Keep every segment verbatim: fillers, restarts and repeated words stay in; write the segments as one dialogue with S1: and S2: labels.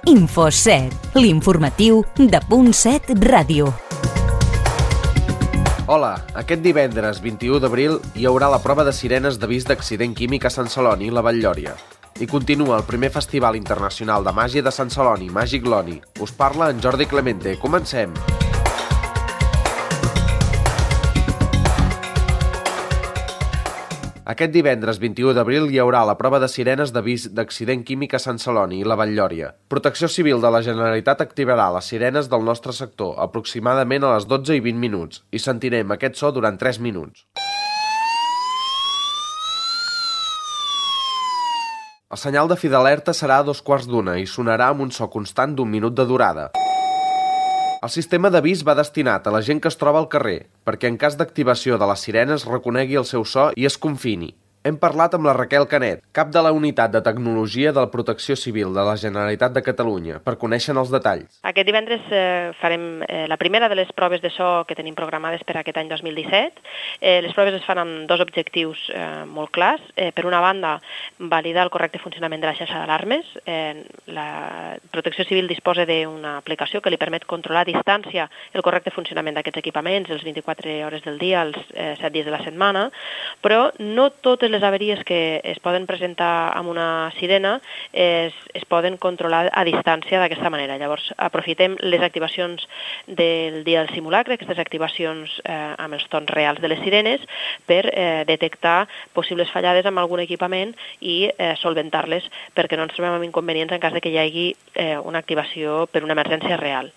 S1: InfoSet, l'informatiu de Punt set Ràdio.
S2: Hola, aquest divendres vint-i-u d'abril hi haurà la prova de sirenes d'avís d'accident químic a Sant Celoni i la Vall-lloria. I continua el primer Festival Internacional de Màgia de Sant Celoni, Màgic Loni. Us parla en Jordi Clemente. Comencem! Aquest divendres vint-i-u d'abril hi haurà la prova de sirenes d'avís d'accident químic a Sant Celoni i la Vall-lloria. Protecció Civil de la Generalitat activarà les sirenes del nostre sector aproximadament a les dotze i vint minuts i sentirem aquest so durant tres minuts. El senyal de fi d'alerta serà a dos quarts d'una i sonarà amb un so constant d'un minut de durada. El sistema d'avís va destinat a la gent que es troba al carrer, perquè en cas d'activació de les sirenes reconegui el seu so i es confini. Hem parlat amb la Raquel Canet, cap de la Unitat de Tecnologia de la Protecció Civil de la Generalitat de Catalunya, per conèixer els detalls.
S3: Aquest divendres eh, farem eh, la primera de les proves de so que tenim programades per aquest any dos mil disset. Eh, les proves es fan amb dos objectius eh, molt clars. Eh, per una banda, validar el correcte funcionament de la xarxa d'alarmes. Eh, la Protecció Civil disposa d'una aplicació que li permet controlar a distància el correcte funcionament d'aquests equipaments els vint-i-quatre hores del dia, els eh, set dies de la setmana, però no totes les avaries que es poden presentar amb una sirena es, es poden controlar a distància d'aquesta manera. Llavors, aprofitem les activacions del dia del simulacre, aquestes activacions eh, amb els tons reals de les sirenes, per eh, detectar possibles fallades amb algun equipament i eh, solventar-les perquè no ens trobem amb inconvenients en cas de que hi hagi eh, una activació per una emergència real.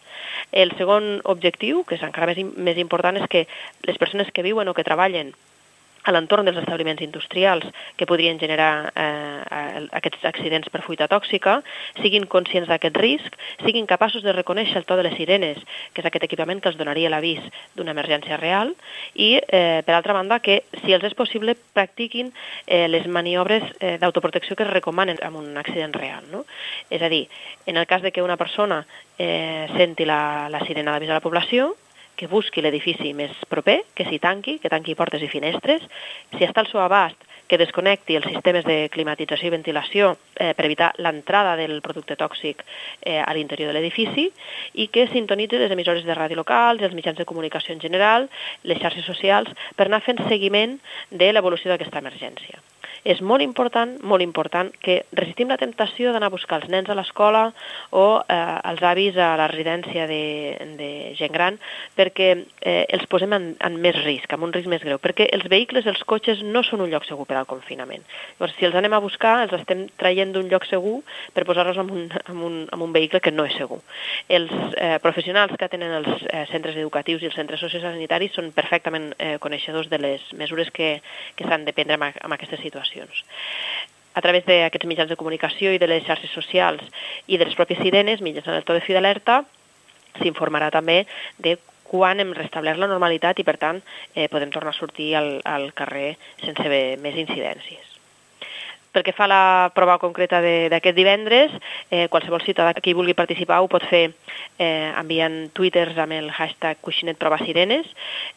S3: El segon objectiu, que és encara més, més important, és que les persones que viuen o que treballen a l'entorn dels establiments industrials que podrien generar eh, aquests accidents per fuita tòxica, siguin conscients d'aquest risc, siguin capaços de reconèixer el to de les sirenes, que és aquest equipament que els donaria l'avís d'una emergència real, i, eh, per altra banda, que, si els és possible, practiquin eh, les maniobres eh, d'autoprotecció que es recomanen en un accident real, no? És a dir, en el cas de que una persona eh, senti la, la sirena d'avís a la població, que busqui l'edifici més proper, que s'hi tanqui, que tanqui portes i finestres. Si està al seu abast, que desconnecti els sistemes de climatització i ventilació eh, per evitar l'entrada del producte tòxic eh, a l'interior de l'edifici i que sintonitzi les emissores de ràdio locals, els mitjans de comunicació en general, les xarxes socials, per anar fent seguiment de l'evolució d'aquesta emergència. És molt important, molt important que resistim la temptació d'anar a buscar els nens a l'escola o eh, els avis a la residència de, de gent gran perquè eh, els posem en, en més risc, en un risc més greu, perquè els vehicles, els cotxes, no són un lloc segur per al confinament. Llavors, si els anem a buscar, els estem traient d'un lloc segur per posar-los en un, en un, en un vehicle que no és segur. Els eh, professionals que tenen els eh, centres educatius i els centres sociosanitaris són perfectament eh, coneixedors de les mesures que, que s'han de prendre en, en aquestes situacions. A través d'aquests mitjans de comunicació i de les xarxes socials i de les pròpies sirenes, mitjançant el to de fi d'alerta, s'informarà també de quan hem restablert la normalitat i, per tant, eh, podem tornar a sortir al, al carrer sense més incidències. Pel que fa a la prova concreta d'aquest divendres, eh, qualsevol ciutadà que hi vulgui participar ho pot fer eh, enviant twitters amb el hashtag Coixinet Prova Sirenes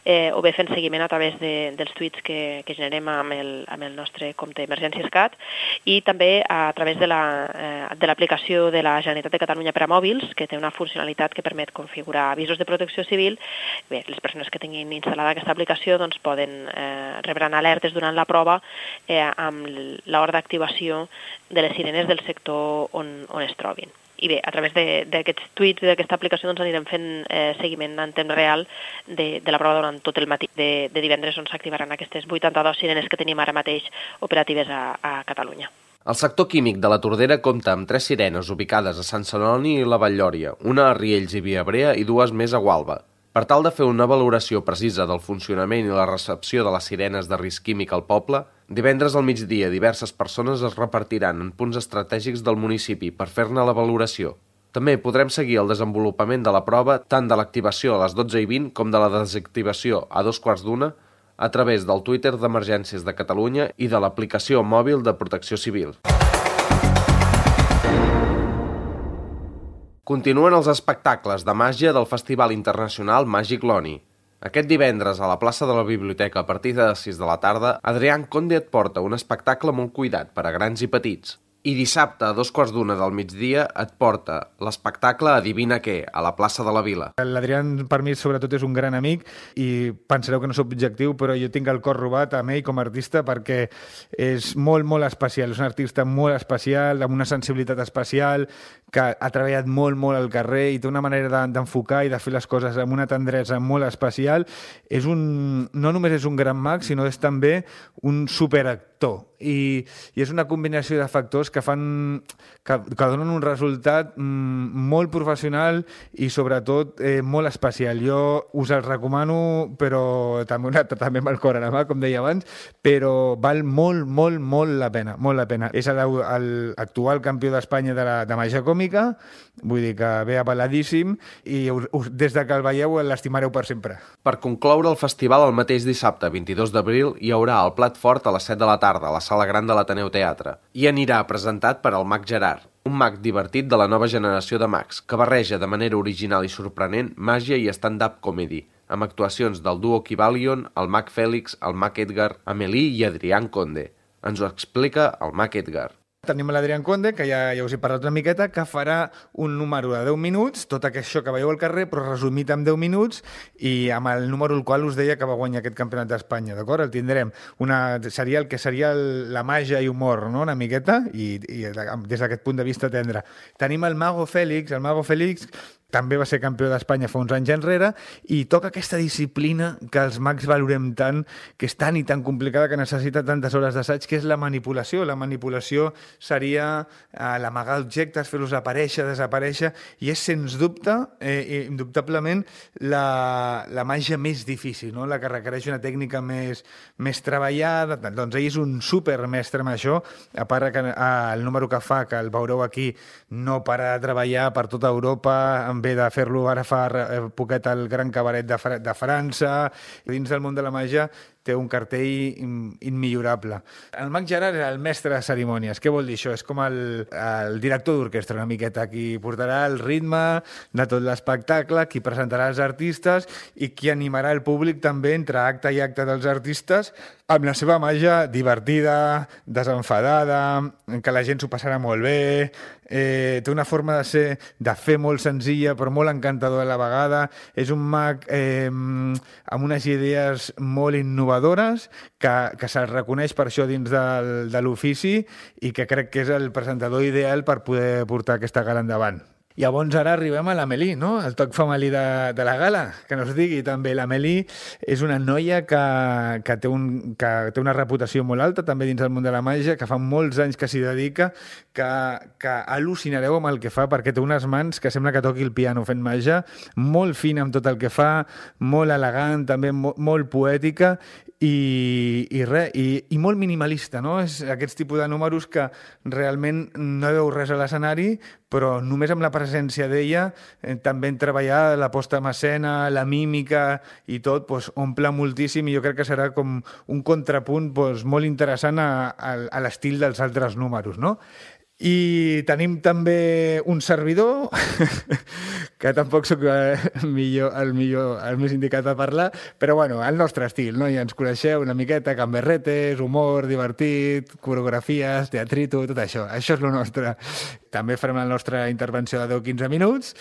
S3: eh, o bé fent seguiment a través de, dels tuits que, que generem amb el, amb el nostre compte Emergències Cat i també a través de l'aplicació de, eh, de la Generalitat de Catalunya per a mòbils, que té una funcionalitat que permet configurar avisos de protecció civil. Bé, les persones que tinguin instal·lada aquesta aplicació doncs, poden eh, rebran alertes durant la prova eh, amb l'hora d'activació de les sirenes del sector on, on es trobin. I bé, a través d'aquests tuits i d'aquesta aplicació doncs, anirem fent eh, seguiment en temps real de, de la prova durant tot el matí de, de divendres, on s'activaran aquestes vuitanta-dues sirenes que tenim ara mateix operatives a, a Catalunya.
S2: El sector químic de la Tordera compta amb tres sirenes ubicades a Sant Celoni i la Vall-lloria, una a Riells i Viabrea i dues més a Gualba. Per tal de fer una valoració precisa del funcionament i la recepció de les sirenes de risc químic al poble, divendres al migdia diverses persones es repartiran en punts estratègics del municipi per fer-ne la valoració. També podrem seguir el desenvolupament de la prova tant de l'activació a les dotze i vint com de la desactivació a dos quarts d'una a través del Twitter d'Emergències de Catalunya i de l'aplicació mòbil de Protecció Civil. Continuen els espectacles de màgia del Festival Internacional Màgic Loni. Aquest divendres, a la plaça de la Biblioteca, a partir de les sis de la tarda, Adrián Conde et porta un espectacle molt cuidat per a grans i petits. I dissabte, a dos quarts d'una del migdia, et porta l'espectacle Adivina què, a la plaça de la Vila.
S4: L'Adrián, per mi, sobretot, és un gran amic i pensareu que no soc objectiu, però jo tinc el cor robat amb ell com a artista perquè és molt, molt especial. És un artista molt especial, amb una sensibilitat especial, que ha treballat molt, molt al carrer i té una manera d'enfocar i de fer les coses amb una tendresa molt especial. És un, no només és un gran mag, sinó és també un superactor. I, i és una combinació de factors que fan que, que donen un resultat mm, molt professional i sobretot eh, molt especial. Jo us el recomano, però també, una, també amb el cor a la mà, com deia abans, però val molt, molt, molt la pena, molt la pena. És l'actual campió d'Espanya de, la, de màgia còmica, vull dir que ve avaladíssim i us, us, des de que el veieu l'estimareu per sempre.
S2: Per concloure el festival, el mateix dissabte, vint-i-dos d'abril, hi haurà el plat fort a les set de la tarda, a la Sala Gran de l'Ateneu Teatre, i anirà presentat per el mag Gerard, un mag divertit de la nova generació de mags, que barreja de manera original i sorprenent màgia i stand-up comedy, amb actuacions del duo Kybalion, el mag Fèlix, el mag Edgar, Amélie i Adrián Conde. Ens ho explica el mag Edgar.
S4: Tenim l'Adrián Conde, que ja, ja us he parlat una miqueta, que farà un número de deu minuts, tot això que veieu al carrer, però resumit en deu minuts, i amb el número al qual us deia que va guanyar aquest campionat d'Espanya, d'acord? El tindrem. Una, seria el que seria el, la màgia i humor, no?, una miqueta, i, i des d'aquest punt de vista tendre. Tenim el Mago Fèlix, el Mago Fèlix també va ser campió d'Espanya fa uns anys enrere i toca aquesta disciplina que els mags valorem tant, que és tan i tan complicada, que necessita tantes hores d'assaig, que és la manipulació. La manipulació seria eh, l'amagar objectes, fer-los aparèixer, desaparèixer, i és, sens dubte, eh, indubtablement, la, la màgia més difícil, no? La que requereix una tècnica més, més treballada. Doncs ell és un supermestre amb això, a part que eh, el número que fa, que el veureu aquí, no para de treballar per tota Europa, amb ve de fer-lo ara fa poquet al Gran Cabaret de, Fra de França. Dins del món de la màgia té un cartell immillorable. El mag Gerard era el mestre de cerimònies. Què vol dir això? És com el, el director d'orquestra, una miqueta, qui portarà el ritme de tot l'espectacle, qui presentarà els artistes i qui animarà el públic també entre acte i acte dels artistes amb la seva màgia divertida, desenfadada, que la gent s'ho passarà molt bé. Eh, té una forma de ser, de fer molt senzilla però molt encantadora a la vegada. És un mag eh, amb unes idees molt innovadores que, que se'l reconeix per això dins del, de l'ofici i que crec que és el presentador ideal per poder portar aquesta gala endavant. I llavors ara arribem a l'Amélie, no? El toc femení de, de la gala, que no es digui també. L'Amélie és una noia que, que, té un, que té una reputació molt alta també dins del món de la màgia, que fa molts anys que s'hi dedica, que, que al·lucinareu amb el que fa, perquè té unes mans que sembla que toqui el piano fent màgia, molt fina amb tot el que fa, molt elegant, també molt, molt poètica, i, i, re, i, i molt minimalista, no? És aquests tipus de números que realment no veu res a l'escenari, però només amb la presència d'ella, eh, també en treballar la posta en escena, la mímica i tot, doncs, omple moltíssim, i jo crec que serà com un contrapunt doncs, molt interessant a, a, a l'estil dels altres números, no? I tenim també un servidor, que tampoc sóc el millor, el millor, el més indicat a parlar, però bueno, el nostre estil, no? Ja ens coneixeu una miqueta, gamberretes, humor, divertit, coreografies, teatrito, tot això. Això és el nostre. També farem la nostra intervenció de deu a quinze minuts,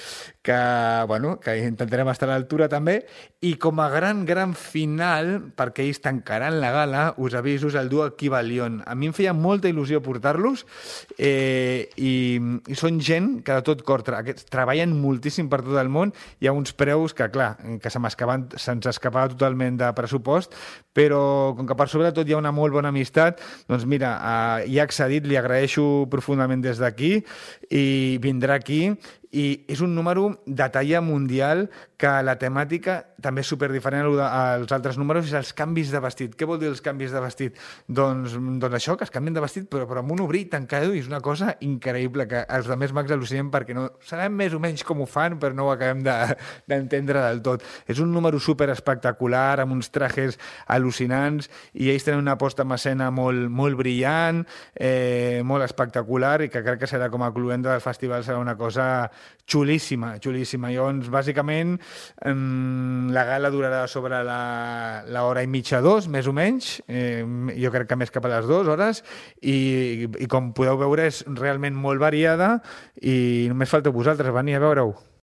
S4: que, bueno, que intentarem estar a l'altura també, i com a gran, gran final, perquè ells tancaran la gala, us aviso, el duo Kybalion. A mi em feia molta il·lusió portar-los, eh, i, i són gent que de tot cor tra treballen moltíssim per tot el món. Hi ha uns preus que, clar, que se'ns se escapava totalment de pressupost, però com que per sobre tot hi ha una molt bona amistat, doncs mira, eh, hi ha accedit, li agraeixo profundament des d'aquí, i vindrà aquí, i és un número de talla mundial, que la temàtica també és superdiferent als altres números, és els canvis de vestit. Què vol dir els canvis de vestit? Doncs, doncs això, que es canvien de vestit, però, però amb un obrir tancado, i és una cosa increïble, que els altres mags al·lucinem perquè no sabem més o menys com ho fan, però no ho acabem d'entendre de, del tot. És un número super espectacular, amb uns trajes al·lucinants, i ells tenen una posta en escena molt, molt brillant, eh, molt espectacular, i que crec que serà com a cluenda del festival, serà una cosa xulíssima, xulíssima. Llavors, bàsicament, la gala durarà sobre l'hora i mitja, dos, més o menys. Eh, jo crec que més cap a les dues hores. I, i com podeu veure, és realment molt variada i només falteu vosaltres venir a veure-ho.